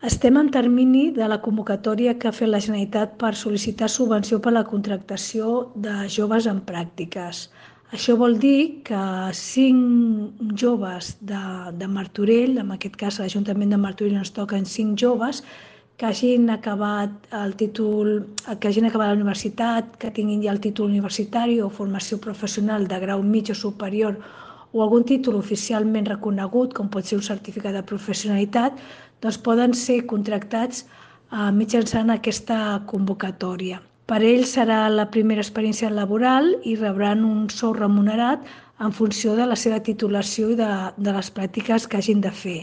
Estem en termini de la convocatòria que ha fet la Generalitat per sol·licitar subvenció per a la contractació de joves en pràctiques. Això vol dir que 5 joves de Martorell, en aquest cas a l'Ajuntament de Martorell ens toquen 5 joves, que hagin acabat la universitat, que tinguin ja el títol universitari o formació professional de grau mig o superior o algun títol oficialment reconegut, com pot ser un certificat de professionalitat, doncs poden ser contractats mitjançant aquesta convocatòria. Per ells serà la primera experiència laboral i rebran un sou remunerat en funció de la seva titulació i de les pràctiques que hagin de fer.